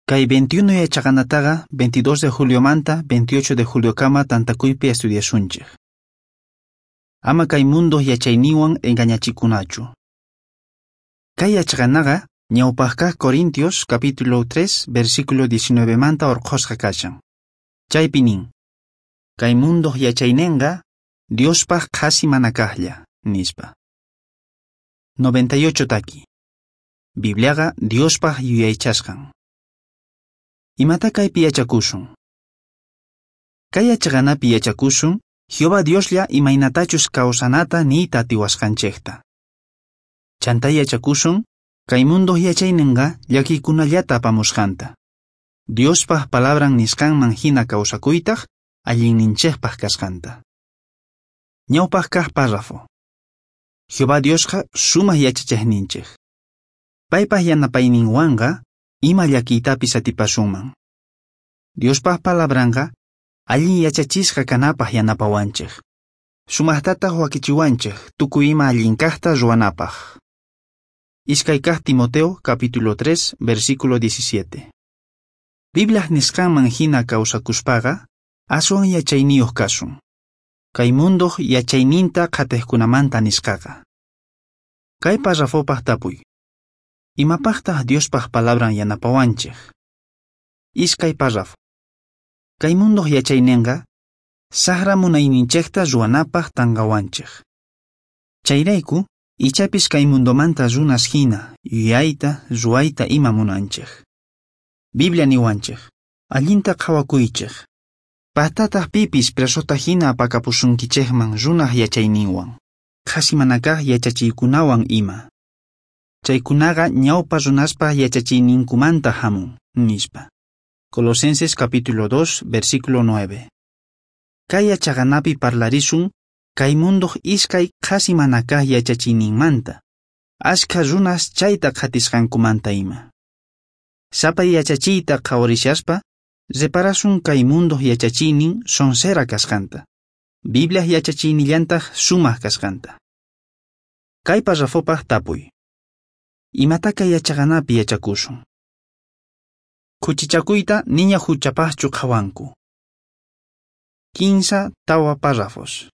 Kay 21 yachaqanataqa 22 de juliomanta 28 de juliokama tantakuypi estudiasunchej. Ama kay mundo yachayninwan engañachikunachu. Kay yachaqanaqa ñawpaq kaq Corintios capítulo 3 versículo 19 manta orqhosqa kashan. Chaypi nin: Kay mundo yachaynenqa Diospaj qhasi manakajlla, nispa. 98 taki. Bibliaqa Diospaj yuyaychasqan. Imata kaypi yachakusun? Kay yachaqanapi yachakusun Jehová Dioslla imaynatachus kawsanata niyta atiwasqanchejta. Chantá yachakusun kay mundo yachaynenqa llakiykunallata apamusqanta. Diospaj palabran nisqanman hina kawsakuytaj allinninchejpaj kasqanta. Ñawpaq kaq párrafo. Jehová Diosqa sumaq yachachejninchej. Paypaj yanapayninwanqa ima llakiytapis atipasunman. Diospaj palabranqa allin yachachisqa kanapaj yanapawanchej. Sumajtataj wakichiwanchej tukuy ima allin kajta ruwanapaj. Iskay kaq Timoteo capítulo 3 versículo 17. Bibliaj nisqanman hina kawsakuspaqa aswan yachayniyuq kasun. Kay mundoq yachayninta qhatejkunamanta nisqaqa. Kay párrafopaj tapuy. Imapajtaj Diospaj palabran yanapawanchej? Iskay párrafo. Kay mundoq yachaynenqa saqra munayninchejta ruwanapaj tanqawanchej. Chayrayku ichapis kay mundomanta runas hina yuyayta ruwayta ima munanchej. Biblia niwanchej, allinta qhawakuychej. Pajtataj pipis presota hina apakapusunkichejman runaj yachayninwan, qhasi manakaj yachachiykunawan ima. Chaykunaqa ñawpa runaspaj yachachiyninkumanta hamun, nispa. Colosenses capítulo 2, versículo 9. Kay yachaqanapi parlarisun kay mundoq iskay qhasi manakaj yachachiyninmanta, ashkha runas chayta qhatisqankumanta ima. Sapa yachachiyta qhawarishaspa, reparasun kay mundoq yachachiynin sonsera kasqanta, Bibliaj yachachiynillantaj sumaq kasqanta. Kay párrafopaj tapuy. Imata kay yachaqanapi yachakusun? Khuchichakuyta niña huchapajchu qhawanku. 15 tawa párrafos.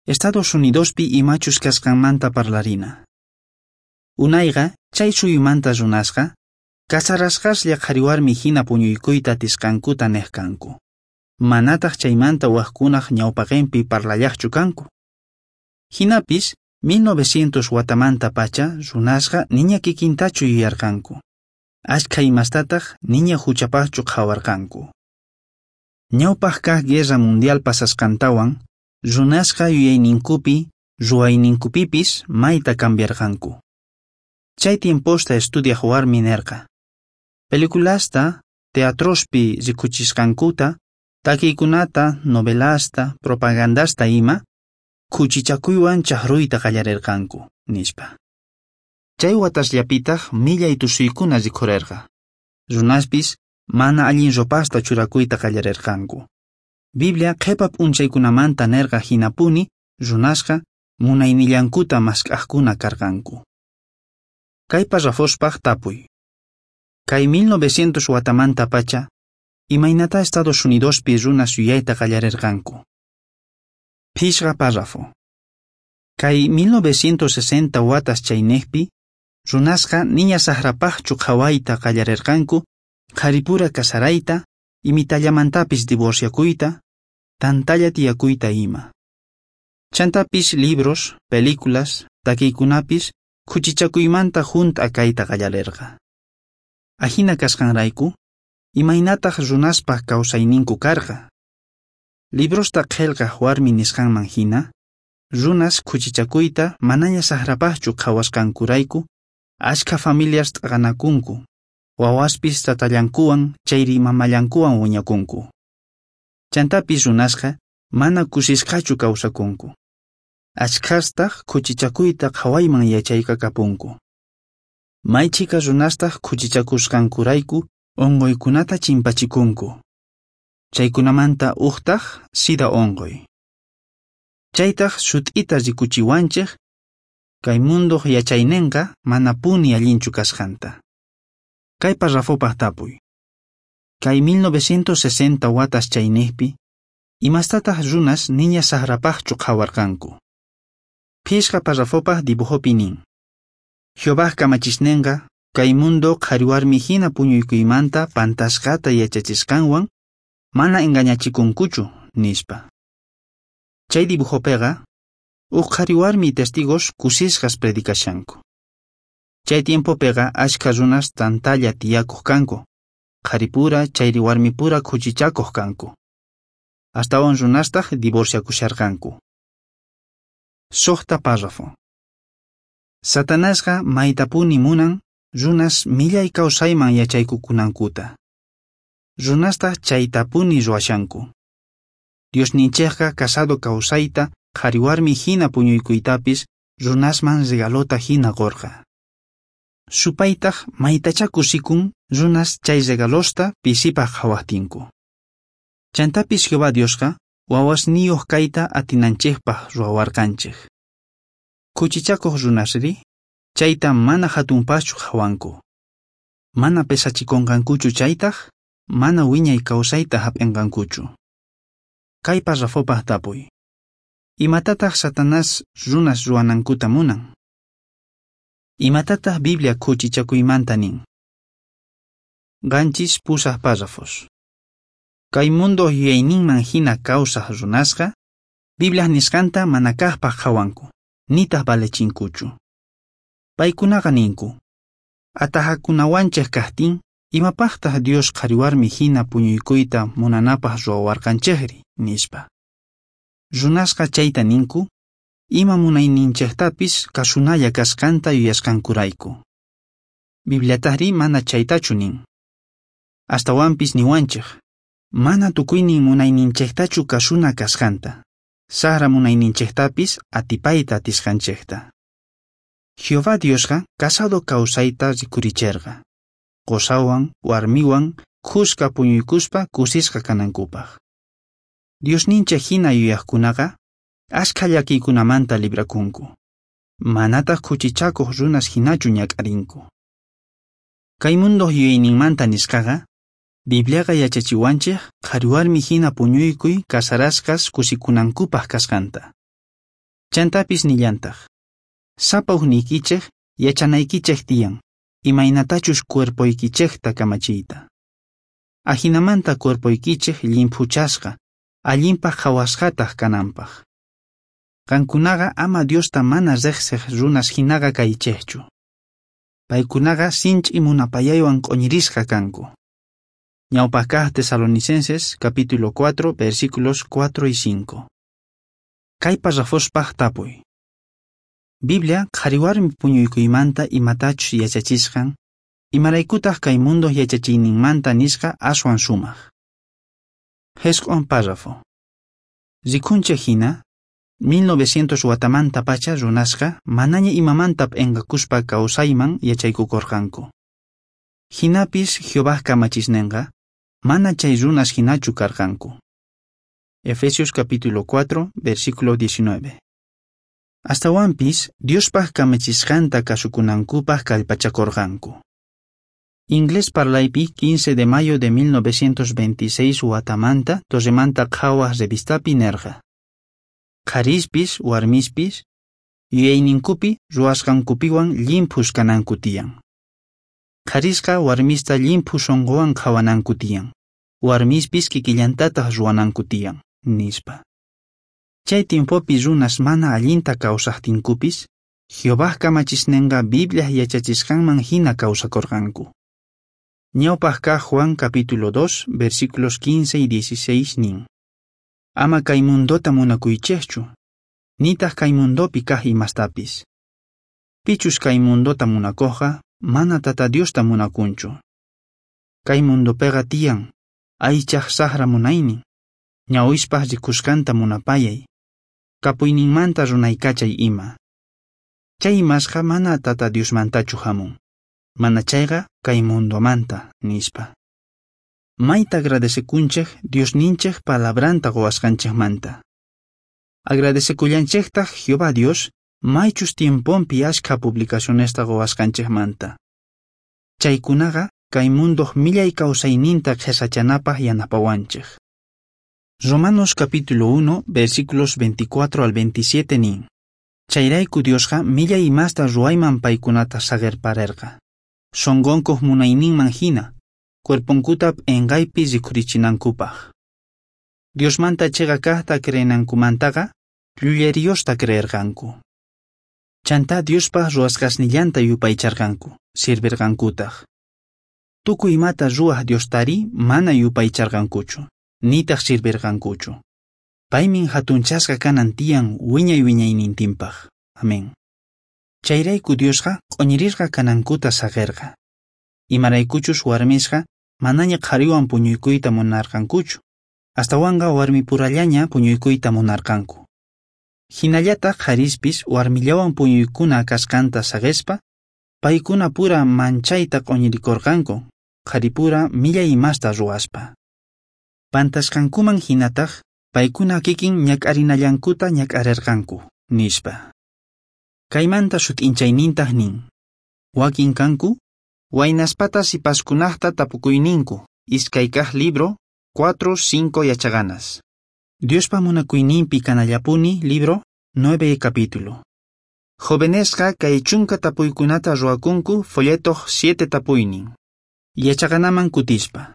Estados Unidospi imachus kasqanmanta parlarina. Unayqa chay suyumanta runasqa kasarasqaslla qhariwarmi hina puñuykuyta atisqankuta nej kanku. Manataq chaymanta wajkunaj ñawpaqinpi parlallaqchu kanku. Hinapis 1900 watamanta pacha runasqa niña kikintachu yuyarqanku. Ashkha imastataq niña huchapajchu qhawarqanku. Ñawpaq kaq Guerra Mundial pasasqantawan, runasqa yuyayninkupi, ruwayninkupipis mayta cambiarqanku. Chay tiemposta estudiaj warmi nerqa. Peliculasta, teatrospi rikuchisqankuta, takiykunata, novelasta, propagandasta ima, khuchichakuywan chaqruyta qallarirqanku, nispa. Chay watasllapitaj millay tusuykuna rikhurerqa. Runaspis mana allin ropasta churakuyta qallarirqanku. Biblia qhepa p'unchaykunamanta nerqa hinapuni runasqa munaynillankuta mask'ajkuna karqanku. Kay párrafospaj tapuy. Kay 1900 watamanta pacha, imaynata Estados Unidospi runas yuyayta qallarirqanku. Phishqa párrafo. Kay 1960 watas chaynejpi, runasqa niña saqrapajchu qhawayta qallarirqanku, qharipura kasarayta, imitallamantapis divorciakuyta, tantalla tiyakuyta ima. Chantapis libros, películas, takiykunapis khuchichakuymanta junt'a kayta qallarirqa. Ajina kasqanrayku, imaynataq runaspaj kawsayninku karqa. Librosta qhelqaj warmi nisqanman hina, runas khuchichakuyta manaña saqrapajchu qhawasqankurayku, ashkha familias t'aqanakunku, wawaspis tatallankuwan chayri mamallankuwan wiñakunku. Chantapis runasqa mana kusisqachu kawsakunku. Ashkhastaj khuchichakuyta qhawayman yachaykakapunku. May chhika runastaj khuchichakusqankurayku unquykunata chimpachikunku. Chaykunamanta ujtaj sida unquy. Chaytaj sut'ita rikuchiwanchej kay mundoq yachaynenqa manapuni allinchu kasqanta. Kay parrafopaj tapuy. Kay 1960 watas chaynejpi, imastataj runas niña sajrapajchu qhawarqanku? Phishqa parrafopaj dibujopi nin. Jehovaj kamachisnenqa kay mundo qhariwarmi hina puñuykuymanta pantasqata yachachisqanwan mana engañachikunkuchu, nispa. Chay dibujopeqa uj qhariwarmi testigos kusisqas predicashanku. Chay tiempopeqa ashkha runas tantalla tiyakuq kanku, qharipura chayri warmipura khuchichakuq kanku. Astawan runastaq divorciakusharqanku. Suqta párrafo. Satanasqa maytapuni munan runas millay kawsayman yachaykukunankuta. Runastaq chaytapuni ruwashanku. Diosninchejqa casado kawsayta qhariwarmi hina puñuykuytapis runasman regalota hina qorqa. Supaytaj maytachá kusikun runas chay regalosta pisipaj qhawajtinku. Chantapis Jehová Diosqa wawasniyuq kayta atinanchejpaj ruwawarqanchej. Khuchichakuq runasri chayta mana hatunpaschu qhawanku. Mana pesachikunqankuchu chaytaj mana wiñay kawsayta hap'inqankuchu. Kay parrafopaj tapuy. Imatataq Satanás runas ruwanankuta munan? Imatataq Biblia khuchichakuymanta nin? 7 8 párrafos. Kay mundo yuyayninman hina kawsaj runasqa, Bibliaj nisqanta mana kaqpaj qhawanku, nitaq valechinkuchu. Paykunaqa ninku, atajakunawanchej kajtin, imapaqtaq Dios qhariwarmi hina puñuykuyta munanapaj ruwawarqanchejri, nispa. Runasqa chayta ninku, ima munayninchejtapis kasunalla kasqanta yuyasqankurayku. Bibliatajri mana chaytachu nin. Astawanpis niwanchej, mana tukuynin munayninchejtachu kasuna kasqanta, sajra munayninchejtapis atipayta atisqanchejta. Jehová Diosqa casado kawsayta rikuricherqa, qosawan warmiwan khuska puñuykuspa kusisqa kanankupaj. Diosninchej hina yuyajkunaqa ashkha llakiykunamanta librakunku, manataq khuchichakuq runas hinachu ñak'arinku. Kay mundo yuyayninmanta nisqaqa, Bibliaqa yachachiwanchej qhariwarmi hina puñuykuy casarasqas kusikunankupaj kasqanta. Chantapis nillantaq, sapa ujniykichej yachanaykichej tiyan, imaynatachus cuerpoykichejta kamachiyta. Ajinamanta cuerpoykichej llimphuchasqa, allinpaj qhawasqataq kananpaj. Qankunaqa ama Diosta mana rejsej runas hinaqa kaychejchu. Paykunaqa sinch'i munapayaywan q'oñirisqa kanku. Ñawpaj kaj Tesalonicenses capítulo 4 versículos 4 y 5. Kay parrafospaj tapuy. Biblia qhariwarmi puñuykuymanta imatachus yachachisqan, imaraykutaq kay mundo yachachiyninmanta nisqa aswan sumaq. 9 párrafo. Rikunchej hina, 1900 watamanta pacha runasqa manaña imamanta p'enqakuspa kawsayman yachaykukorqanku. Hinapis Jehovaj kamachisnenqa mana chay runas hinachu karqanku. Efesios capítulo 4, versículo 19. Astawanpis Diospaj kamachisqanta kasukunankupaj kallpachakorqanku. Inglés parlaypi 15 de mayo de 1926 watamanta Torremanta Qhawaj revistapi nerqa. Qharispis warmispis yuyayninkupi ruwasqankupiwan llimphus kananku tiyan. Qharisqa warmista llimphu sunquwan qhawananku tiyan, warmispis kikillantataq ruwananku tiyan, nispa. Chay tiempopi runas mana allinta kawsajtinkupis, Jehovaj kamachisnenqa Bibliaj yachachisqanman hina kawsakorqanku. Ñawpaj kaj Juan capítulo 2, versículos 15 y 16 nin. Ama kay mundota munakuychejchu, nitaq kay mundopi kaj imastapis. Pichus kay mundota munakojqa, mana Tata Diosta munakunchu. Kay mundopeqa tiyan, aychaj sajra munaynin, ñawispaj rikusqanta munapayay, kapuyninmanta runaykachay ima. Chay imasqa mana Tata Diosmantachu hamun, mana chayqa kay mundomanta, nispa. Mayta agradecekunchej Diosninchej palabranta quwasqanchejmanta. Agradecekullanchejtaj Jehová Dios maychus tiemponpi ashkha publicacionesta quwasqanchejmanta. Chaykunaqa kay mundoj millay kawsayninta qhesachanapaj yanapawanchej. Romanos capítulo 1, versículos 24 al 27 nin: Chayrayku Diosqa millay imasta ruwayman paykunata saqerparerqa. Sonqonkoj munayninman jina, cuerponkuta p'enqaypi rikhurichinankupaj. Diosmanta cheqa kajta creenankumantaqa, llulleriosta creerqanku. Chantá Diospaj ruwasqasnillanta yupaycharqanku, sirverqankutaj. Tukuy imata ruwaj Diostari mana yupaycharqankuchu, nitaj sirverqankuchu. Paymin jatunchasqa kanan tiyan wiñay wiñaynintinpaj. Amén. Chayrayku Diosqa q'oñirisqa kanankuta saqerqa. Imaraykuchus warmisqa manaña qhariwan puñuykuyta munarqankuchu, astawanqa warmipurallaña puñuykuyta munarqanku. Jinallataj qharispis warmillawan puñuykuna kasqanta saqespa, paykuna pura manchayta q'oñirikorqanku, qharipura millay imasta ruwaspa. Pantasqankuman jinataj paykuna kikin ñak'arinallankuta ñak'arerqanku, nispa. Kaymanta sut'inchaynintaj nin: Wakin kanku, waynaspata sipaskunajta tapukuyninku, iskay kaj libro, 4, 5 yachaganas. Diospa munakuyninpi kanallapuni, libro, 9 capítulo. Jovenesqa kay chunka tapuykunata ruwakunku folletoj 7 tapuynin. Yachaganaman kutispa.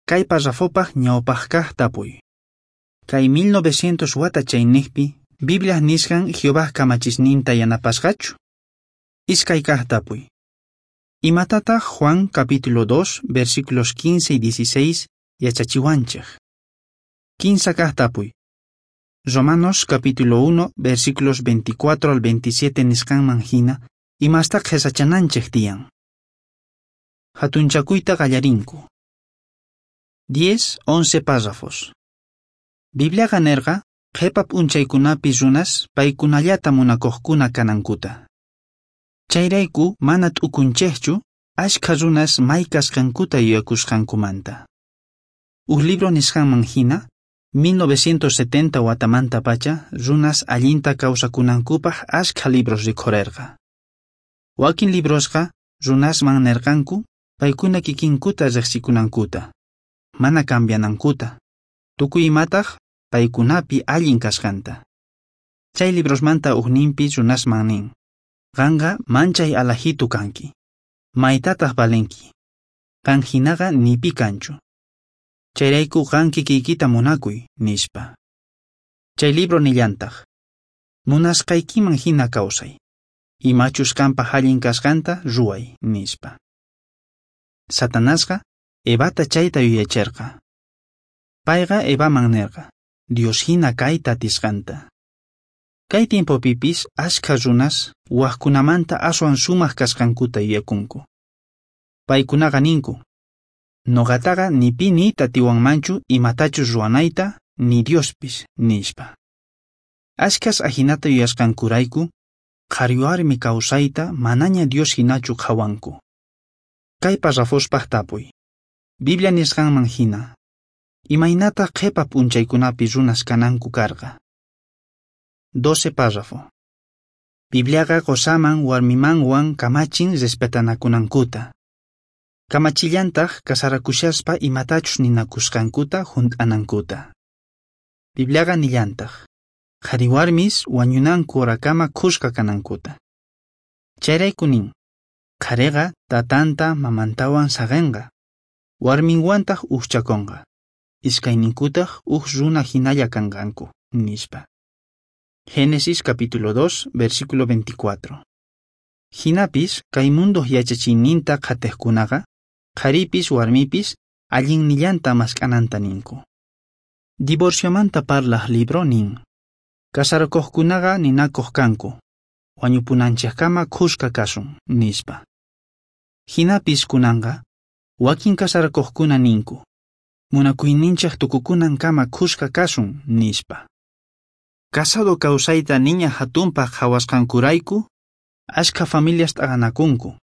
Kay parrafopaj ñawpaj kaj tapuy. Kay 1900 wata chaynejpi, Biblia nisqan Jehová kamachisninta yanapasqachu? Iskay kaj tapuy. Imatataq Juan capítulo 2, versículos 15 y 16 yachachiwanchej? Kinsa kaj tapuy. Romanos capítulo 1, versículos 24 al 27 nisqanman jina, imastaq qhesachananchej tiyan. Jatunchakuyta qallarinku. 10, 11 párrafos. Bibliaqa nerqa, qhepa p'unchaykunapi runas paykunallata munakojkuna kanankuta. Chayrayku mana t'ukunchejchu ashkha runas may kasqankuta yuyakusqankumanta. Uj libro nisqanman jina, 1970 watamantapacha runas allinta kawsakunankupaj ashkha libros rikhurerqa. Wakin librosqa runasman nerqanku paykuna kikinkuta riqsikunankuta, mana cambianankuta, tukuy imataj paykunapi allin kasqanta. Chay librosmanta ujninpi runasman nin: Qanqa manchay alajitu kanki, maytataj valenki, qan jinaqa ni pi kanchu. Chayrayku qan kikiykita munakuy, nispa. Chay libro nillantaj: Munasqaykiman jina kawsay, imachus qanpaj allin kasqanta ruway, nispa. Satanasqa Evata chayta yuyacherqa. Payqa Evaman nerqa Dios jina kayta atisqanta. Kay tiempopipis ashkha runas wajkunamanta aswan sumaj kasqankuta yuyakunku. Paykunaqa ninku: Noqataqa ni pi niyta atiwanmanchu imatachus ruwanayta, ni Diospis, nispa. Ashkhas ajinata yuyasqankurayku, qhariwarmi kawsayta manaña Dios jinachu qhawanku. Kay parrafospaj tapuy. Biblia nisqanman jina, imaynataq qhepa p'unchaykunapi runas kananku karqa? 12 párrafo. Bibliaqa qosaman warmimanwan kamachin respetanakunankuta. Kamachillantaj casarakushaspa imatachus ninakusqankuta junt'anankuta. Bibliaqa nillantaj qhariwarmis wañunanku horakama khuska kanankuta. Chayrayku nin: qhariqa tatanta mamantawan saqenqa, warminwantaj ujchakonqa, iskayninkutaj uj runa jinalla kanqanku, nispa. Génesis capítulo 2, versículo 24. Jinapis kay mundoj yachachiyninta qhatejkunaqa, qharipis warmipis allinnillanta mask'ananta ninku. Divorciomanta parlaj libro nin: Casarakojkunaqa ninakoj kanku, wañupunanchejkama khuska kasun, nispa. Jinapis kunanqa, wakin casarakojkuna ninku, munakuyninchej tukukunankama khuska kasun, nispa. Casado kawsayta niña jatunpaj qhawasqankurayku, ashkha familias t'aqanakunku,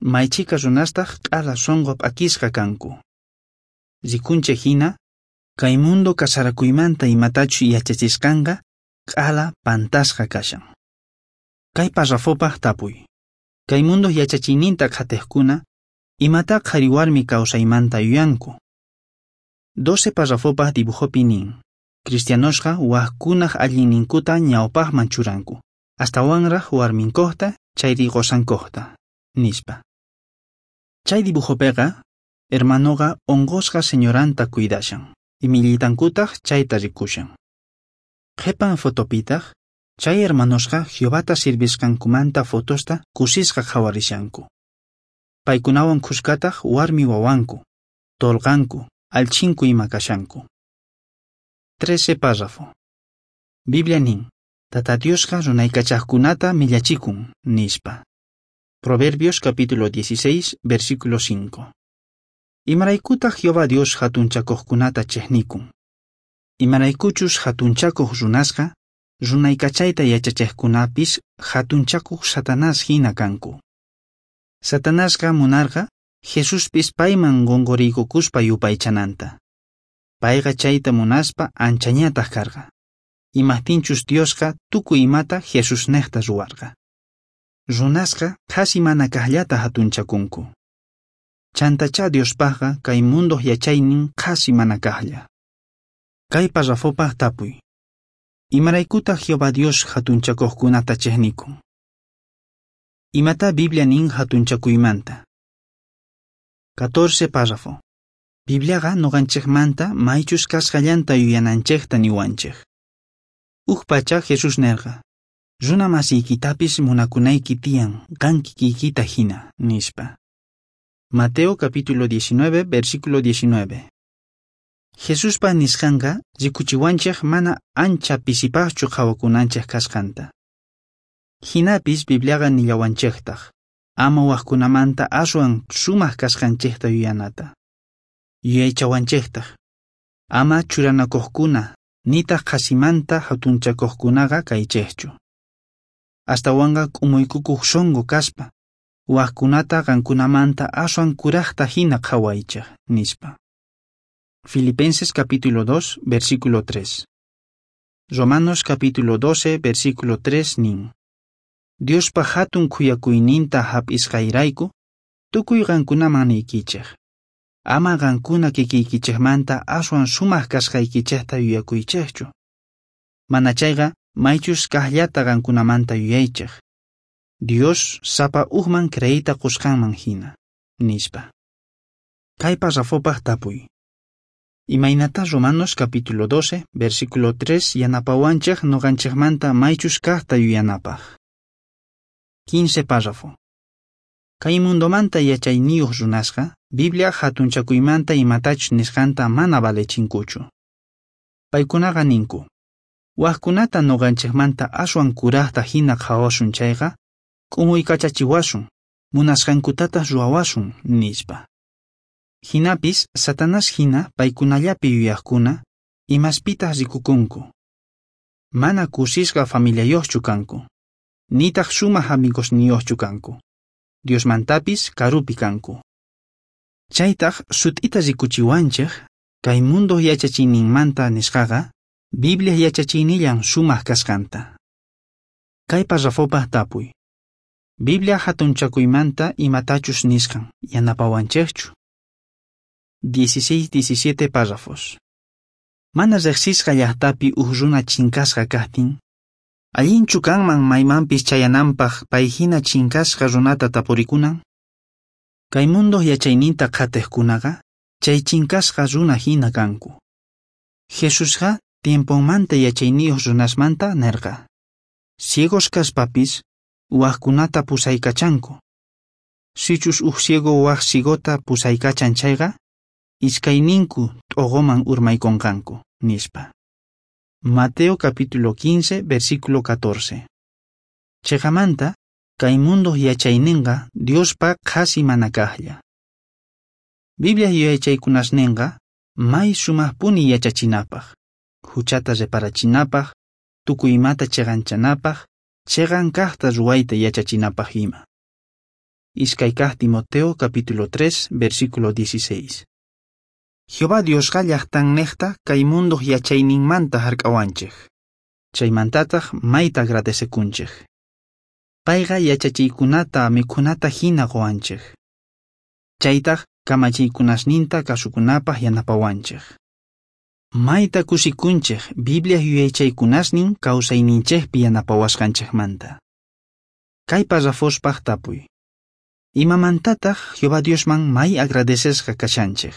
maychika runastaj q'ala sonqo p'akisqa kanku. Rikunchej jina, kay mundo casarakuymanta imatachus yachachisqanqa q'ala pantasqa kashan. Kay parrafopaj tapuy. Kay mundo yachachiyninta qhatejkuna, Imatá qhariwarmi kawsaymanta yuyanku? 12 parrafopaj dibujopi nin, cristianosqa wajkunaj allinninkuta ñawpajman churanku, astawanraj warminkojta chayri qosankojta, nispa. Chay dibujopeqa, hermanoqa onqosqa señoranta cuidashan, imillitankutaq chayta rikushan. Qhepan fotopitaj, chay hermanosqa Jehovata sirvisqankumanta fotosta kusisqa qhawarishanku. Paykunawan khuskataj warmi wawanku, tolqanku, alchinku ima kashanku. 13 párrafo. Biblia nin, Tata Diosqa runaykachajkunata millachikun, nispa. Proverbios capítulo 16, versículo 5. Imaraykutaj Jehová Dios jatunchakojkunata chejnikun. Imaraykuchus jatunchakoj runasqa, runaykachayta yachachejkunapis jatunchakuj Satanás hina kanku. Satanasqa munarqa Jesuspis payman qonqoriykukuspa yupaychananta. Payqa chayta munaspa anchañataj karqa. Imajtinchus Diosqa tukuy imata Jesusnejta ruwarqa. Runasqa qhasi mana kajllata jatunchakunku. Chantachá Diospajqa kay mundoj yachaynin qhasi mana kajlla. Kay parrafopaj tapuy. Imaraykutaj Jehová Dios jatunchakojkunata chejnikun? Imata Biblia nin jatunchakuymanta? 14 párrafo. Bibliaqa noqanchejmanta maychus kasqallanta yuyananchejta niwanchej. Uj pacha Jesús nerqa, runa masiykitapis munakunayki tiyan qan kikiykita hina, nispa. Mateo capítulo 19, versículo 19. Jesuspa nisqanqa rikuchiwanchej mana ancha pisipajchu qhawakunanchej kasqanta. Jinapis Bibliaqa nillawanchejtaj, ama wajkunamanta aswan sumaj kasqanchejta yuyanata. Yuyaychawanchejtaj, ama churanakojkuna nitaj qhasimanta jatunchakojkunaqa kaychejchu. Astawanqa k'umuykukuj sonqo kaspa, wajkunata qankunamanta aswan kurajta hina qhawaychej, nispa. Filipenses capítulo 2, versículo 3. Romanos capítulo 12, versículo 3 nin. Diospa hatun khuyakuyninta hap'isqayrayku, tukuy qankunaman niykichej. Ama qankuna kikiykichejmanta aswan sumaj kasqaykichejta yuyakuychejchu. Mana chayqa maychus kajllata qankunamanta yuyaychej. Dios sapa ujman creeyta qusqanman hina, nispa. Kay parrafopaj tapuy. Imaynata Romanos capítulo 12, versículo 3 yanapawanchej noqanchejmanta maychus kajta yuyanapaj. 15 párrafo. Kay mundomanta yachayniyuq runasqa, Biblia jatunchakuymanta imatachus nisqanta mana valechinkuchu. Paykunaqa ninku, wajkunata noqanchejmanta aswan kurajta hina qhawasun chayqa, k'umuykachachiwasun, munasqankutataj ruwawasun, nispa. Jinapis Satanás hina paykunallapi yuyajkuna, imaspitaj rikukunku. Mana kusisqa familiayojchu kanku, nitaj sumaj amigosniyojchu kanku. Diosmantapis karupi kanku. Chaytaj sut'ita rikuchiwanchej, kay mundo yachachiyninmanta nisqaqa, Biblia yachachiynillan sumaj kasqanta. Kay parrafopaj tapuy. Biblia jatunchakuymanta imatachus nisqan yanapawanchejchu? 16-17 párrafos. Mana riqsisqa llaqtapi uj runa chinkasqa kajtin, allinchu kanman maymanpis chayananpaj pay hina chinkasqa runata tapurikunan? Kay mundo yachayninta qhatejkunaqa chay chinkasqa runa hina kanku. Jesusqa tiemponmanta yachayniyuq runasmanta nerqa, ciegos kaspapis wajkunata pusaykachanku. Sichus uj ciego waj ciegota pusaykachan chayqa, iskayninku t'oqoman urmaykonqanku, nispa. Mateo capítulo 15, versículo 14. Cheqamanta, kay mundo yachayninqa Diospa qhasi mana kajlla. Biblia yuyaychaykunasninqa may sumajpuni yachachinapaj, huchata reparachinapaj, tukuy imata cheqanchanapaj, cheqan kajta ruwayta yachachinapaj ima. Iskay kaj Timoteo capítulo 3, versículo 16. Jehová Diosqa llaqtannejta kay mundoj yachayninmanta hark'awanchej. Chaymantataj mayta agradecekunchej. Payqa yachachiykunata mikhunata hina qowanchej. Chaytaj kamachiykunasninta kasukunapaj yanapawanchej. Mayta kusikunchej Bibliaj yuyaychaykunasnin kawsayninchejpi yanapawasqanchejmanta. Kay parrafospaj tapuy. Imamantataj Jehová Diosman may agradecesqa kashanchej?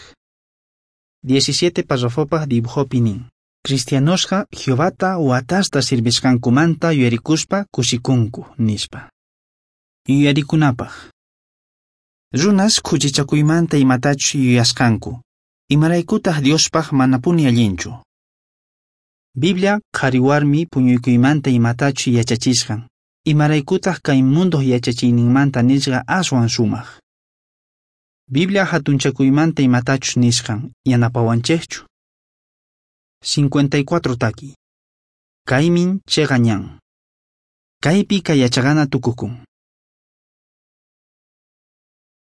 17 parrafopaj dibujopi nin. Cristianosqa Jehovata watasta sirvisqankumanta yuyarikuspa kusikunku, nispa. Yuyarikunapaj. Runas khuchichakuymanta imatachus yuyasqanku. Imaraykutaj Diospaj manapuni allinchu. Biblia qhariwarmi puñuykuymanta imatachus yachachisqan. Imaraykutaj kay mundoj yachachiyninmanta nisqa aswan sumaj. Biblia hatunchakuymanta imatachus nisqan yanapawanchejchu. 54 taki. Kaymin cheqa ñan. Kaypi kay yachaqana tukukun.